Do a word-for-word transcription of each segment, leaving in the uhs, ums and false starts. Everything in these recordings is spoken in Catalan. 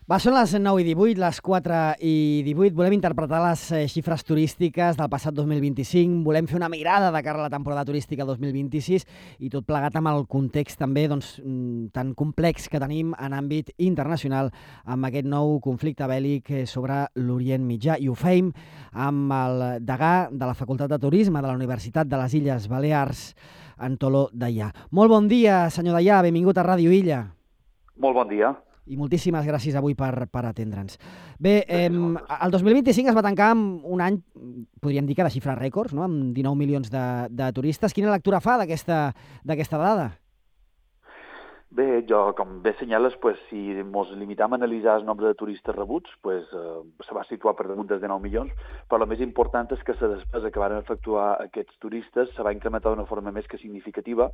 Va, són les nou i divuit, les quatre i divuit. Volem interpretar les xifres turístiques del passat dos mil vint-i-cinc. Volem fer una mirada de cara a la temporada turística dos mil vint-i-sis i tot plegat amb el context també doncs, tan complex que tenim en àmbit internacional amb aquest nou conflicte bèl·lic sobre l'Orient Mitjà. I ho fem amb el degà de la Facultat de Turisme de la Universitat de les Illes Balears, Antolo Deià. Molt bon dia, senyor Deià. Benvingut a Ràdio Illa. Molt bon dia. I moltíssimes gràcies avui per, per atendre'ns. Bé, eh, el dos mil vint-i-cinc es va tancar amb un any, podríem dir que de xifres rècords, no? Amb dinou milions de, de turistes. Quina lectura fa d'aquesta d'aquesta dada? Bé, jo, com bé senyales, pues, si ens limitam a analitzar el nombre de turistes rebuts, pues, eh, se va situar per damunt dels dinou milions, però el més important és que la despesa que van efectuar aquests turistes se va incrementar d'una forma més que significativa,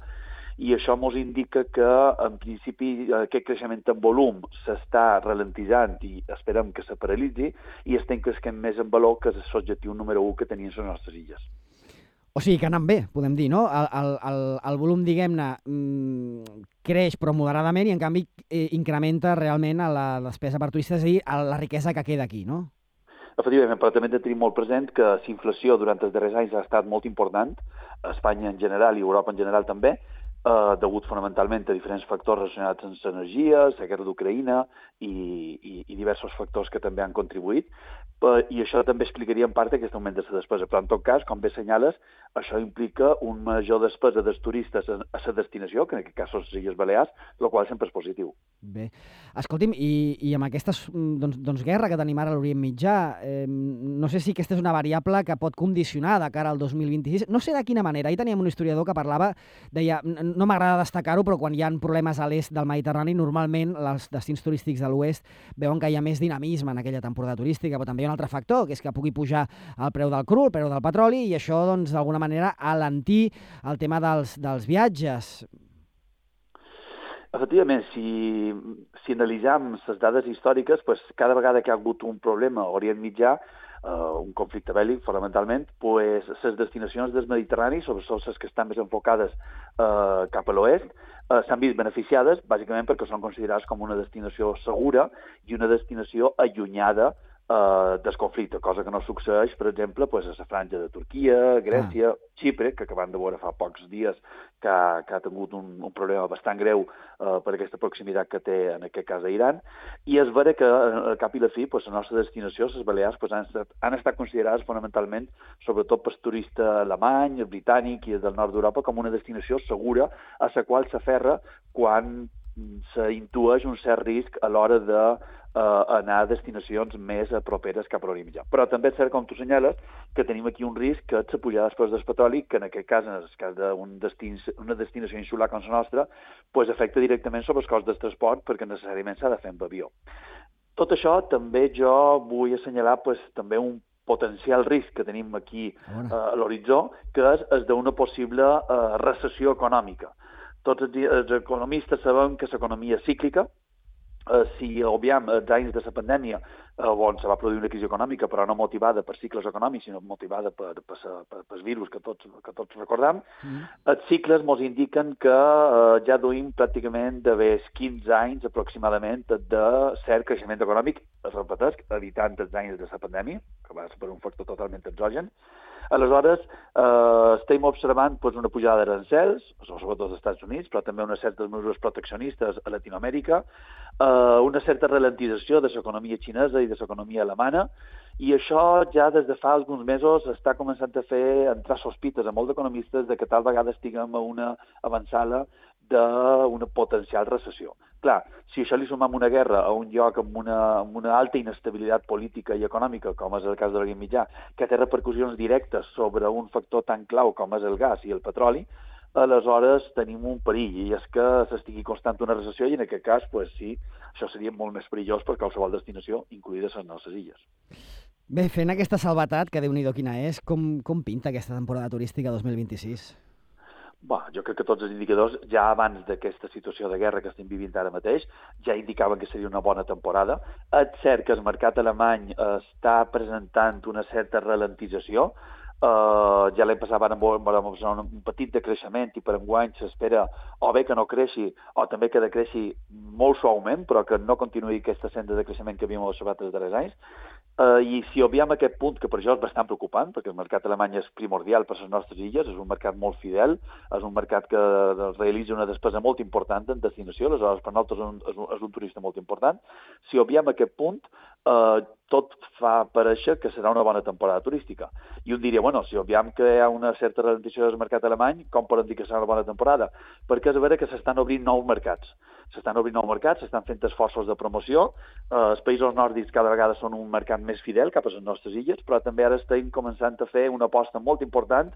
i això ens indica que, en principi, aquest creixement en volum s'està ralentitzant i esperem que se paralitzi, i estem creixent més en valor, que és l'objectiu número un que tenien les nostres illes. O sigui que anant bé, podem dir, no? El, el, el, el volum, diguem-ne, mmm, creix però moderadament i, en canvi, eh, incrementa realment a la despesa per turistes, és a dir, a la riquesa que queda aquí, no? Efectivament, però també hem de tenir molt present que la inflació durant els darrers anys ha estat molt important, a Espanya en general i a Europa en general també, eh, degut fonamentalment a diferents factors relacionats amb l'energia, la guerra d'Ucraïna i, i, i diversos factors que també han contribuït, i això també explicaria en part aquest augment de la despesa. Però en tot cas, com bé senyales, això implica un major despesa dels turistes a la destinació, que en aquest cas són les Illes Balears, el qual sempre és positiu. Bé, escolti'm, i, i amb aquesta doncs, doncs, guerra que tenim ara a l'Orient Mitjà, eh, no sé si aquesta és una variable que pot condicionar de cara al dos mil vint-i-sis. No sé de quina manera. Ahir teníem un historiador que parlava, deia, no m'agrada destacar-ho, però quan hi ha problemes a l'est del Mediterrani, normalment els destins turístics de l'oest veuen que hi ha més dinamisme en aquella temporada turística, però també hi ha un altre factor, que és que pugui pujar el preu del cru, el preu del petroli, i això, doncs, d'alguna manera, alentir el tema dels, dels viatges. Efectivament, si, si analitzem les dades històriques, pues, cada vegada que ha hagut un problema a Orient Mitjà, uh, un conflicte bèl·lic, fonamentalment, pues, les destinacions del Mediterrani, sobretot les que estan més enfocades uh, cap a l'oest, uh, s'han vist beneficiades, bàsicament perquè són considerades com una destinació segura i una destinació allunyada Uh, del conflicte, cosa que no succeeix, per exemple, pues, a la franja de Turquia, Grècia, ah. Xipre, que acabem de veure fa pocs dies que ha, que ha tingut un, un problema bastant greu uh, per aquesta proximitat que té, en aquest cas, a Iran, i és vera que, al cap i la fi, pues, la nostra destinació, les Balears, pues, han, estat, han estat considerades fonamentalment, sobretot pel turista alemany, britànic i del nord d'Europa, com una destinació segura a la qual s'aferra quan s'intueix un cert risc a l'hora de Uh, anar a destinacions més uh, properes cap a l'Orient Mitjà. Però també és cert, com tu senyales, que tenim aquí un risc que és la pujada dels preus del petroli, que en aquest cas, en el cas d'una destin una destinació insular com la nostra, pues, afecta directament sobre els costs del transport, perquè necessàriament s'ha de fer amb avió. Tot això també jo vull assenyalar pues, també un potencial risc que tenim aquí uh, a l'horitzó, que és el d'una possible uh, recessió econòmica. Tots els, els economistes sabem que l'economia és cíclica. Uh, si obviam els anys de la pandèmia, uh, on se va produir una crisi econòmica, però no motivada per cicles econòmics, sinó motivada per, per, per, per virus que tots, que tots recordam, mm. els cicles ens indiquen que uh, ja duim pràcticament d'haver quinze anys aproximadament de cert creixement econòmic, es repeteix, evitant els anys de la pandèmia, que va ser per un factor totalment exògen. Aleshores, eh, estem observant pues, una pujada d'arancels, sobretot als Estats Units, però també unes certes mesures proteccionistes a Latinoamèrica, eh, una certa ralentització de l'economia xinesa i de l'economia alemana, i això ja des de fa alguns mesos està començant a fer entrar sospites a molts economistes de que tal vegada estiguem a una avançada d'una potencial recessió. Clar, si això li sumam una guerra a un lloc amb una, amb una alta inestabilitat política i econòmica, com és el cas de l'Orient Mitjà, que té repercussions directes sobre un factor tan clau com és el gas i el petroli, aleshores tenim un perill, i és que s'estigui constant una recessió, i en aquest cas, pues, sí, això seria molt més perillós per qualsevol destinació, incluïdes les nostres illes. Bé, fent aquesta salvetat, que Déu-n'hi-do quina és, com, com pinta aquesta temporada turística dos mil vint-i-sis? Bé, jo crec que tots els indicadors, ja abans d'aquesta situació de guerra que estem vivint ara mateix, ja indicaven que seria una bona temporada. És cert que el mercat alemany està presentant una certa ralentització, Uh, ja l'any passat vam, vam observar un, un petit decreixement i per enguany s'espera o bé que no creixi o també que decreixi molt suaument, però que no continuï aquesta senda de creixement que havíem observat els darrers anys. Uh, I si obviem aquest punt, que per això és bastant preocupant, perquè el mercat alemany és primordial per a les nostres illes, és un mercat molt fidel, és un mercat que realitza una despesa molt important en destinació, aleshores per nosaltres és un, és un, és un turista molt important. Si obviem aquest punt, uh, tot fa parèixer que serà una bona temporada turística. I un diria, bueno, si obviem que hi ha una certa ralentització del mercat alemany, com poden dir que serà una bona temporada? Perquè és vera que s'estan obrint nous mercats. S'estan obrint nous mercats, s'estan fent esforços de promoció. Uh, els països nòrdics cada vegada són un mercat més fidel cap a les nostres illes, però també ara estem començant a fer una aposta molt important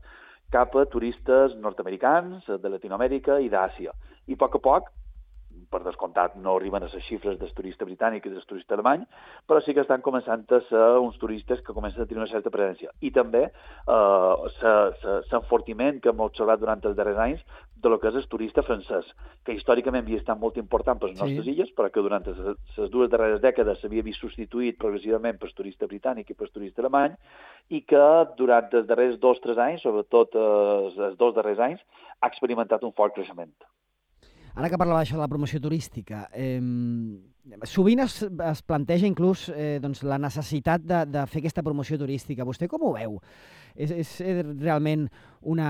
cap a turistes nord-americans, de Latinoamèrica i d'Àsia. I a poc a poc, per descomptat, no arriben a les xifres del turista britànic i del turista alemany, però sí que estan començant a ser uns turistes que comencen a tenir una certa presència. I també eh, l'enfortiment que hem observat durant els darrers anys de lo que és el turista francès, que històricament havia estat molt important per les nostres sí. illes, però que durant les dues darreres dècades s'havia vist substituït progressivament per el turista britànic i per el turista alemany, i que durant els darrers dos o tres anys, sobretot eh, els dos darrers anys, ha experimentat un fort creixement. Ara que parlava això de la promoció turística, eh, sovint es, es planteja inclús eh, doncs, la necessitat de, de fer aquesta promoció turística. Vostè com ho veu? És, és realment una,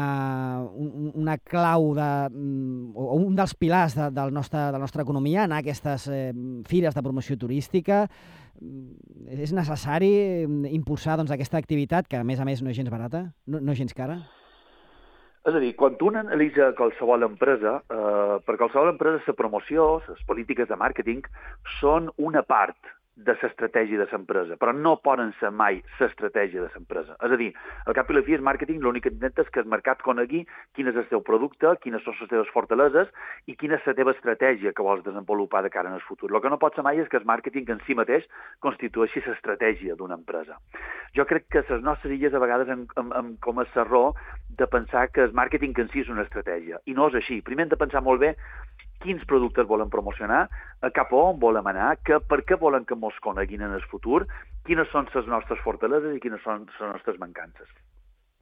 un, una clau de, o un dels pilars de, del nostre, de la nostra economia, anar a aquestes eh, fires de promoció turística? És necessari impulsar doncs, aquesta activitat, que a més a més no és gens barata, no, no és gens cara? És a dir, quan un analitza qualsevol empresa, eh, per qualsevol empresa la promoció, les polítiques de màrqueting, són una part de l'estratègia de l'empresa, però no poden ser mai l'estratègia de l'empresa. És a dir, al cap i la fi, el màrqueting l'únic que intenta és que el mercat conegui quin és el teu producte, quines són les teves fortaleses i quina és la teva estratègia que vols desenvolupar de cara en el futur. El que no pot ser mai és que el màrqueting en si mateix constitueixi l'estratègia d'una empresa. Jo crec que les nostres illes a vegades hem, hem, hem comès l'error de pensar que el màrqueting en si és una estratègia, i no és així. Primer hem de pensar molt bé quins productes volen promocionar, cap a on volem anar, que, per què volen que ens coneguin en el futur, quines són les nostres fortaleses i quines són les nostres mancances.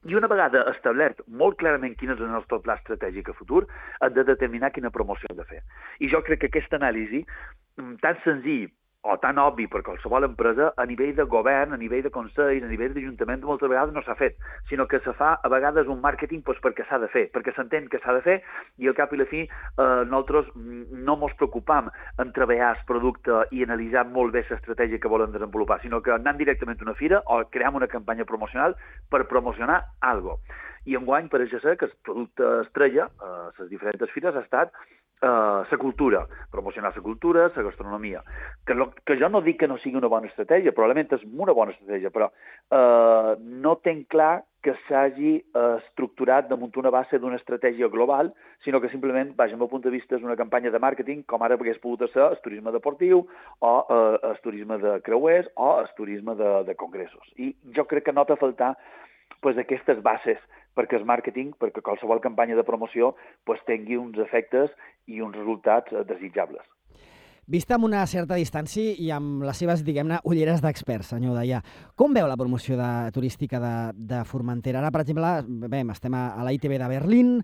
I una vegada establert molt clarament quin és el nostre pla estratègic a futur, hem de determinar quina promoció hem de fer. I jo crec que aquesta anàlisi, tan senzill o tan obvi per qualsevol empresa, a nivell de govern, a nivell de consells, a nivell d'Ajuntament, moltes vegades no s'ha fet, sinó que se fa a vegades un màrqueting doncs, perquè s'ha de fer, perquè s'entén que s'ha de fer i al cap i la fi eh, nosaltres no ens preocupam en treballar el producte i analitzar molt bé l'estratègia que volen desenvolupar, sinó que anant directament a una fira o creem una campanya promocional per promocionar alguna cosa. I enguany pareix ser que el producte estrella a les diferents fires ha estat la uh, cultura, promocionar la cultura, la gastronomia. Que, lo, que jo no dic que no sigui una bona estratègia, probablement és una bona estratègia, però uh, no tenc clar que s'hagi uh, estructurat damunt una base d'una estratègia global, sinó que simplement, vaja, al meu punt de vista, és una campanya de màrqueting, com ara hagués pogut ser el turisme deportiu, o uh, el turisme de creuers, o el turisme de, de congressos. I jo crec que nota faltar pues, aquestes bases perquè el màrqueting, perquè qualsevol campanya de promoció pues, tingui uns efectes i uns resultats desitjables. Vista amb una certa distància i amb les seves, diguem-ne, ulleres d'experts, senyor Deià, com veu la promoció de, turística de, de Formentera? Ara, per exemple, bé, estem a, a la I T B de Berlín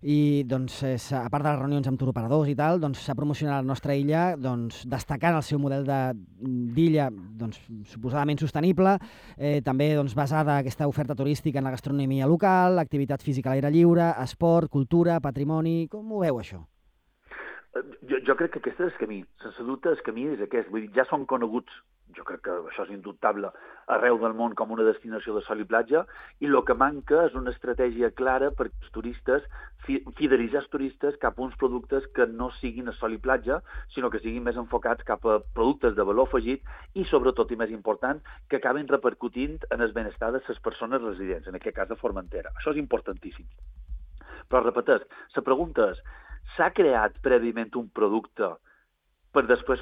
i, doncs, a part de les reunions amb turoperadors i tal, doncs, s'ha promocionat la nostra illa doncs, destacant el seu model d'illa doncs, suposadament sostenible, eh, també doncs, basada aquesta oferta turística en la gastronomia local, activitat física a l'aire lliure, esport, cultura, patrimoni... Com ho veu, això? Jo, jo crec que aquest és el camí. Sense dubte, el camí és aquest. Vull dir, ja són coneguts, jo crec que això és indubtable, arreu del món com una destinació de sol i platja, i el que manca és una estratègia clara per als turistes, fidelitzar els turistes cap a uns productes que no siguin a sol i platja, sinó que siguin més enfocats cap a productes de valor afegit i, sobretot, i més important, que acabin repercutint en el benestar de les persones residents, en aquest cas de Formentera. Això és importantíssim. Però, repeteix, la pregunta és, s'ha creat prèviament un producte per després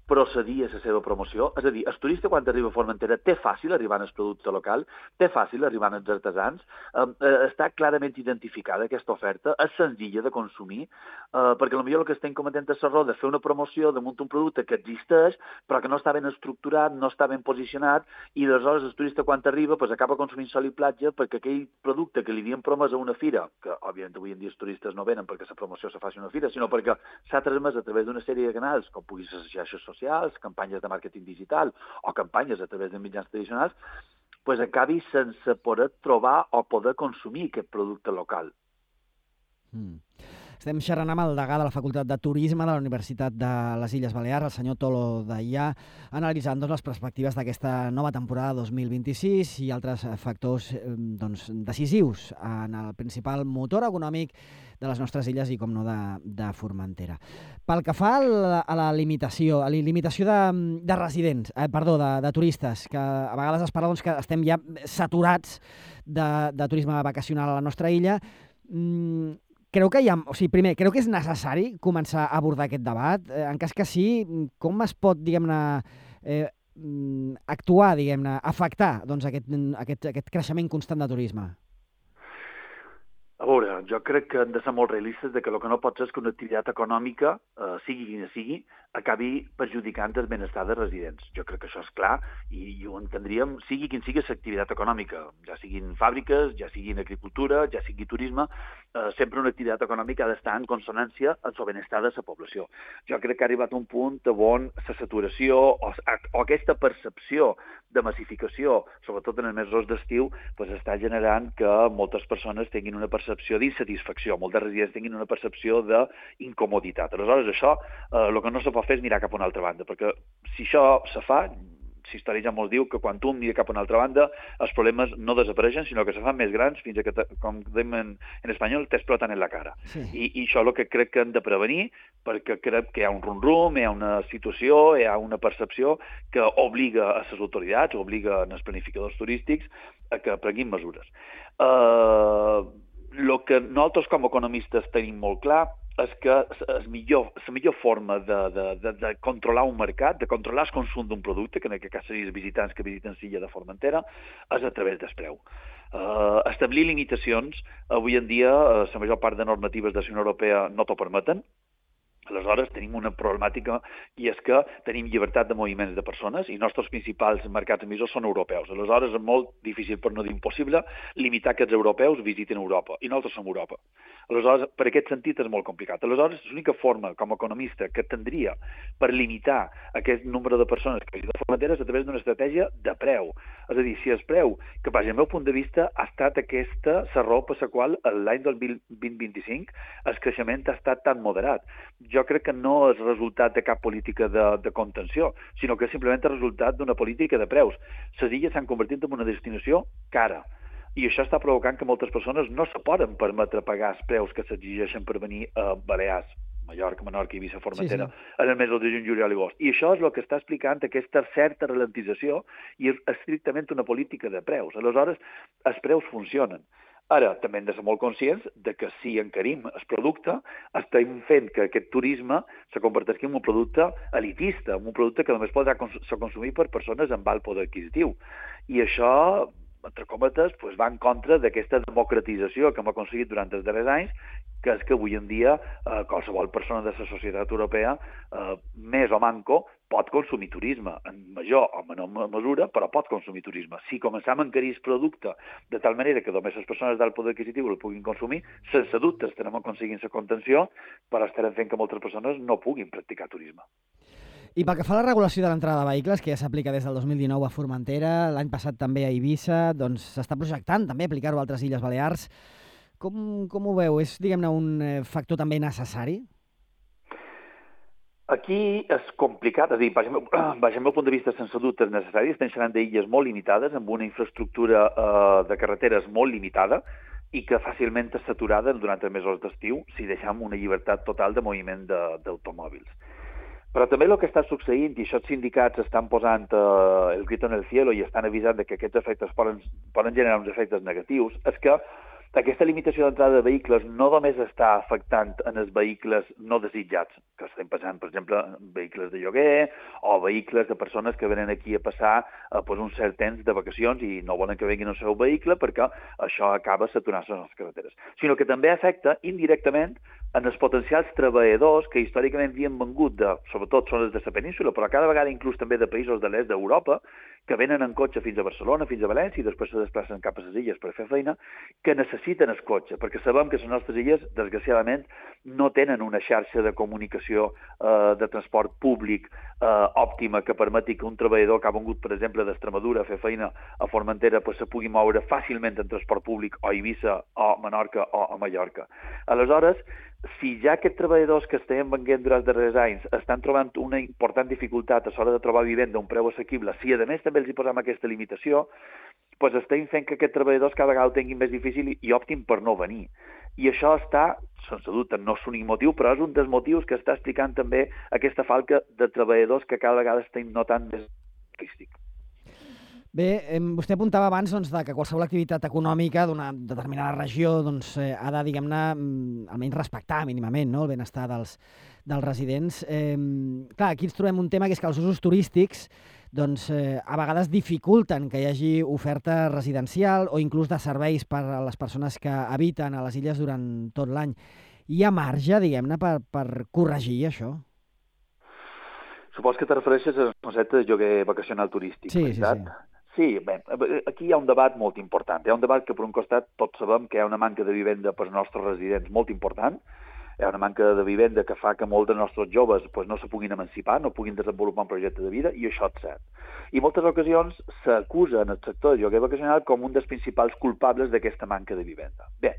procedir a la seva promoció. És a dir, el turista quan arriba a Formentera té fàcil arribar al producte local, té fàcil arribar als artesans, eh, està clarament identificada aquesta oferta, és senzilla de consumir, eh, perquè potser el que estem cometent és l'error de fer una promoció damunt un producte que existeix, però que no està ben estructurat, no està ben posicionat, i aleshores el turista quan arriba pues, acaba consumint sol i platja perquè aquell producte que li havien promès a una fira, que òbviament avui en dia els turistes no venen perquè la promoció se faci a una fira, sinó perquè s'ha transmès a través d'una sèrie de canals, com pugui ser les xarxes socials, campanyes de màrqueting digital o campanyes a través de mitjans tradicionals, pues acabi sense poder trobar o poder consumir aquest producte local. Mm. Estem xerrant amb el degà de la Facultat de Turisme de la Universitat de les Illes Balears, el senyor Tolo Deià, analitzant doncs, les perspectives d'aquesta nova temporada dos mil vint-i-sis i altres factors doncs, decisius en el principal motor econòmic de les nostres illes i, com no, de, de Formentera. Pel que fa a la, a la limitació, a la limitació de, de residents, eh, perdó, de, de turistes, que a vegades es parla doncs, que estem ja saturats de, de turisme vacacional a la nostra illa, mm, creu que hi ha, o sigui, primer, creu que és necessari començar a abordar aquest debat? Eh, en cas que sí, com es pot, diguem-ne, eh, actuar, diguem-ne, afectar doncs, aquest, aquest, aquest creixement constant de turisme? A veure, jo crec que hem de ser molt realistes de que el que no pot ser és que una activitat econòmica, eh, sigui quina sigui, acabi perjudicant el benestar de residents. Jo crec que això és clar i, i ho entendríem, sigui quin sigui l'activitat econòmica, ja siguin fàbriques, ja siguin agricultura, ja sigui turisme, eh, sempre una activitat econòmica ha d'estar en consonància amb el benestar de la població. Jo crec que ha arribat un punt on la saturació o, o aquesta percepció de massificació, sobretot en els mesos d'estiu, pues està generant que moltes persones tinguin una percepció d'insatisfacció, moltes residents tinguin una percepció d'incomoditat. Aleshores, això, eh, el que no se pot fer és mirar cap a una altra banda, perquè si això se fa, la història ja molt diu que quan tu mires cap a una altra banda, els problemes no desapareixen, sinó que se fan més grans fins a que, com dèiem en, en espanyol, t'exploten en la cara. Sí. I, I això és el que crec que hem de prevenir, perquè crec que hi ha un rum-rum, hi ha una situació, hi ha una percepció que obliga a les autoritats, obliga als planificadors turístics a que prenguin mesures. El uh, que nosaltres com a economistes tenim molt clar és que és millor, la millor forma de, de, de, de controlar un mercat, de controlar el consum d'un producte, que en aquest cas serien els visitants que visiten l'illa de Formentera, és a través del preu. Uh, establir limitacions, avui en dia, uh, la major part de normatives de la Unió Europea no t'ho permeten. Aleshores, tenim una problemàtica i és que tenim llibertat de moviments de persones i els nostres principals mercats emissors són europeus. Aleshores, és molt difícil, per no dir impossible, limitar que els europeus visiten Europa i nosaltres som Europa. Aleshores, per aquest sentit és molt complicat. Aleshores, l'única forma, com a economista, que tindria per limitar aquest nombre de persones que visiten Formentera és a través d'una estratègia de preu. És a dir, si el preu, que per al meu punt de vista ha estat aquesta la raó per la qual l'any del vint vint-i-cinc el creixement ha estat tan moderat. Jo crec que no és resultat de cap política de, de contenció, sinó que és simplement el resultat d'una política de preus. Les illes s'han convertit en una destinació cara. I això està provocant que moltes persones no se poden permetre pagar els preus que s'exigeixen per venir a Balears, Mallorca, Menorca, Eivissa, Formentera, sí, sí. en el mes de juny, juliol i agost. I això és el que està explicant aquesta certa ralentització i és estrictament una política de preus. Aleshores, els preus funcionen. Ara, també hem de ser molt conscients de que si encarim el producte, estem fent que aquest turisme se converteixi en un producte elitista, en un producte que només podrà ser consumit per persones amb alt poder adquisitiu. I això, entre cometes, pues, va en contra d'aquesta democratització que hem aconseguit durant els darrers anys, que és que avui en dia eh, qualsevol persona de la societat europea, eh, més o manco, pot consumir turisme, en major o menor mesura, però pot consumir turisme. Si començam a encarir el producte de tal manera que només les persones d'alt poder adquisitiu el puguin consumir, sense dubte estarem aconseguint la contenció, però estarem fent que moltes persones no puguin practicar turisme. I pel que fa a la regulació de l'entrada de vehicles, que ja s'aplica des del dos mil dinou a Formentera, l'any passat també a Eivissa, doncs s'està projectant també aplicar-ho a altres Illes Balears. Com, com ho veu? És, diguem-ne, un factor també necessari? Aquí és complicat, és a dir, baix el meu punt de vista, sense dubte és necessari. Estem xerrant d'illes molt limitades, amb una infraestructura eh, de carreteres molt limitada i que fàcilment és saturada durant els mesos d'estiu si deixem una llibertat total de moviment d'automòbils. Però també el que està succeint, i això els sindicats estan posant eh, el grito en el cielo i estan avisant de que aquests efectes poden, poden generar uns efectes negatius, és que Aquesta limitació d'entrada de vehicles no només està afectant en els vehicles no desitjats, que estem passant, per exemple, vehicles de lloguer o vehicles de persones que venen aquí a passar eh, pues, un cert temps de vacacions i no volen que vinguin el seu vehicle perquè això acaba saturant-se les carreteres, sinó que també afecta indirectament en els potencials treballadors que històricament havien vengut, de, sobretot són els de la península, però cada vegada inclús també de països de l'est d'Europa, que venen en cotxe fins a Barcelona, fins a València, i després se desplacen cap a les illes per fer feina, que necessiten el cotxe, perquè sabem que les nostres illes, desgraciadament, no tenen una xarxa de comunicació eh, de transport públic eh, òptima que permeti que un treballador que ha vengut, per exemple, d'Extremadura a fer feina a Formentera pues, se pugui moure fàcilment en transport públic o a Eivissa o a Menorca o a Mallorca. Aleshores, si ja aquests treballadors que estem venent durant els darrers anys estan trobant una important dificultat a l'hora de trobar vivenda a un preu assequible, si a més també els hi posem aquesta limitació, doncs estem fent que aquests treballadors cada vegada ho tinguin més difícil i, i optin per no venir. I això està, sense dubte, no és l'únic motiu, però és un dels motius que està explicant també aquesta falca de treballadors que cada vegada estem notant més turístic. Bé, eh, vostè apuntava abans doncs, de que qualsevol activitat econòmica d'una determinada regió doncs, eh, ha de, diguem-ne, almenys respectar mínimament, no?, el benestar dels, dels residents. Eh, clar, aquí ens trobem un tema que és que els usos turístics doncs, eh, a vegades dificulten que hi hagi oferta residencial o inclús de serveis per a les persones que habiten a les illes durant tot l'any. Hi ha marge, diguem-ne, per, per corregir això? Supos que te refereixes al concepte de lloguer vacacional turístic, sí, veritat? Sí, sí. Sí, bé, aquí hi ha un debat molt important. Hi ha un debat que, per un costat, tots sabem que hi ha una manca de vivenda per als nostres residents molt important. Hi ha una manca de vivenda que fa que molts dels nostres joves pues, no se puguin emancipar, no puguin desenvolupar un projecte de vida, i això és cert. I en moltes ocasions s'acusa en el sector de lloguer vacacional com un dels principals culpables d'aquesta manca de vivenda. Bé,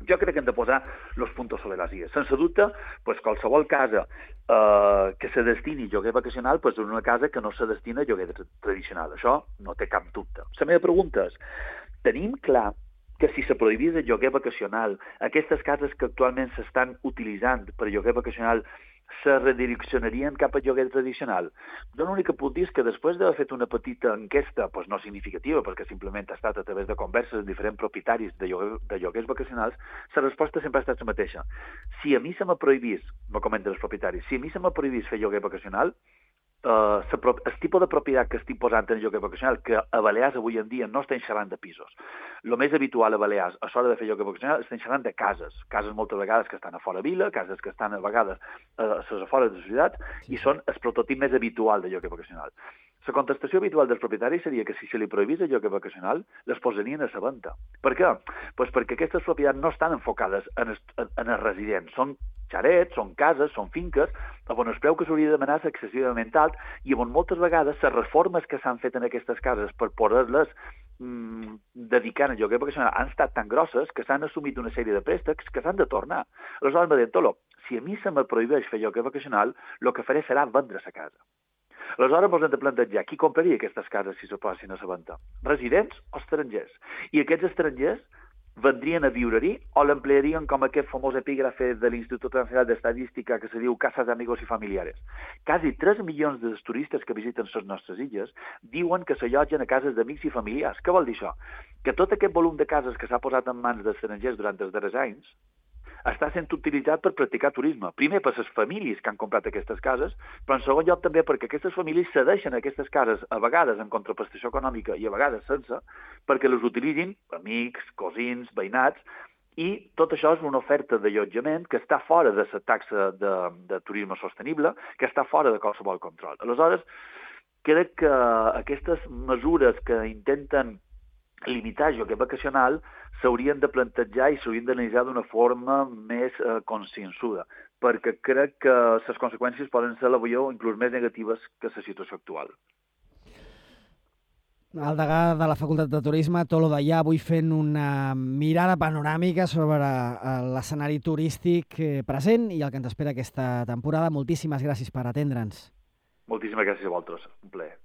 jo crec que hem de posar els puntos sobre les ies. Sense dubte, pues, qualsevol casa eh, que se destini a lloguer vacacional pues, és una casa que no se destina a lloguer tradicional. Això no té cap dubte. La meva pregunta és, tenim clar que si se prohibís el lloguer vacacional, aquestes cases que actualment s'estan utilitzant per lloguer vacacional se redireccionarien cap al lloguer tradicional? Jo l'únic que puc dir és que després d'haver fet una petita enquesta, doncs no significativa, perquè simplement ha estat a través de converses amb diferents propietaris de, lloguer, de lloguers vacacionals, la resposta sempre ha estat la mateixa. Si a mi se me prohibís, me comenten els propietaris, si a mi se me prohibís fer lloguer vacacional, Uh, el tipus de propietat que estic posant en el lloguer vacacional, que a Balears avui en dia no estem xerrant de pisos. El més habitual a Balears, a l'hora de fer lloguer vacacional, estem xerrant de cases. Cases moltes vegades que estan a fora vila, cases que estan a vegades a les afores de la ciutat, sí. I són el prototip més habitual de lloguer vacacional. La contestació habitual dels propietaris seria que si se li prohibís el lloguer vacacional, les posarien a la venda. Per què? Pues perquè aquestes propietats no estan enfocades en els, en els residents. Són xarets, són cases, són finques, on el preu que s'hauria de demanar és excessivament alt i on moltes vegades les reformes que s'han fet en aquestes cases per poder-les mm, dedicar al lloguer vacacional han estat tan grosses que s'han assumit una sèrie de préstecs que s'han de tornar. Aleshores m'ha dit, Tolo, si a mi se me prohibeix fer lloguer vacacional, el que faré serà vendre la casa. Aleshores ens hem de plantejar qui compraria aquestes cases si se posessin a la venda? Residents o estrangers? I aquests estrangers vendrien a viure-hi o l'emplearien com aquest famós epígrafe de l'Institut Nacional d'Estadística que se diu Casas de Amigos y Familiares. Quasi tres milions de turistes que visiten les nostres illes diuen que s'allotgen a cases d'amics i familiars. Què vol dir això? Que tot aquest volum de cases que s'ha posat en mans d'estrangers durant els darrers anys està sent utilitzat per practicar turisme. Primer per les famílies que han comprat aquestes cases, però en segon lloc també perquè aquestes famílies cedeixen aquestes cases a vegades en contraprestació econòmica i a vegades sense, perquè les utilitzin amics, cosins, veïnats, i tot això és una oferta d'allotjament que està fora de la taxa de, de turisme sostenible, que està fora de qualsevol control. Aleshores, crec que aquestes mesures que intenten limitar el lloguer vacacional s'haurien de plantejar i s'haurien d'analitzar d'una forma més eh, consciençuda, perquè crec que les conseqüències poden ser, a la veió, inclús més negatives que la situació actual. El degà de la Facultat de Turisme, Tolo Deià, avui fent una mirada panoràmica sobre l'escenari turístic present i el que ens espera aquesta temporada. Moltíssimes gràcies per atendre'ns. Moltíssimes gràcies a vosaltres. Un plaer.